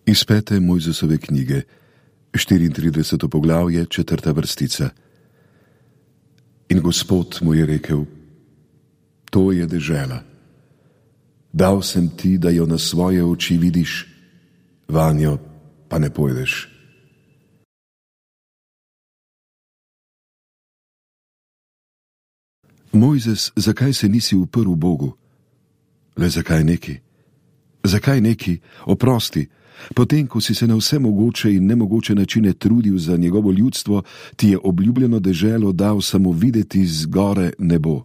Iz 5. Mojzesove knjige, 34. poglavje, 4. vrstica. In Gospod mu je rekel: to je dežela. Dal sem ti, da jo na svoje oči vidiš, vanjo pa ne pojdeš. Mojzes, zakaj se nisi uprl Bogu? Le zakaj neki? Zakaj neki? Oprosti, potem, ko si se na vse mogoče in nemogoče načine trudil za njegovo ljudstvo, ti je obljubljeno deželo dal samo videti z gore nebo.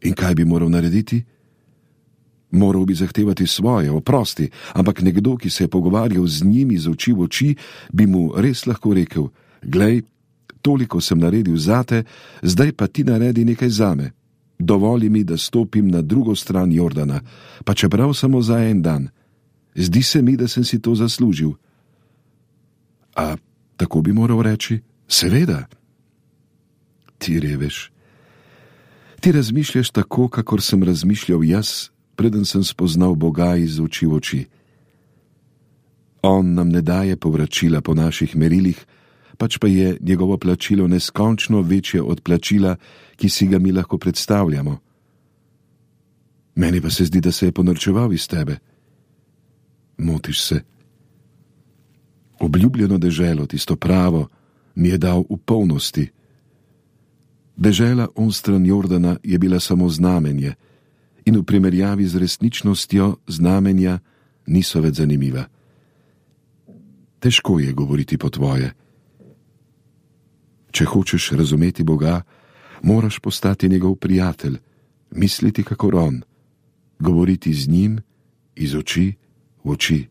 In kaj bi moral narediti? Moral bi zahtevati svoje, oprosti, ampak nekdo, ki se je pogovarjal z njimi z oči v oči, bi mu res lahko rekel: glej, toliko sem naredil zate, zdaj pa ti naredi nekaj zame. Dovoli mi, da stopim na drugo stran Jordana, pa čeprav samo za en dan. Zdi se mi, da sem si to zaslužil. A tako bi moral reči? Seveda. Ti reveš. Ti razmišljaš tako, kakor sem razmišljal jaz, preden sem spoznal Boga iz oči v oči. On nam ne daje povračila po naših merilih, pač pa je njegovo plačilo neskončno večje od plačila, ki si ga mi lahko predstavljamo. Meni pa se zdi, da se je ponorčeval iz tebe. Motiš se. Obljubljeno deželo, tisto pravo, mi je dal v polnosti. Dežela onstran Jordana je bila samo znamenje in v primerjavi z resničnostjo znamenja niso več zanimiva. Težko je govoriti po tvoje. Če hočeš razumeti Boga, moraš postati njegov prijatelj, misliti kakor on, govoriti z njim iz oči v oči.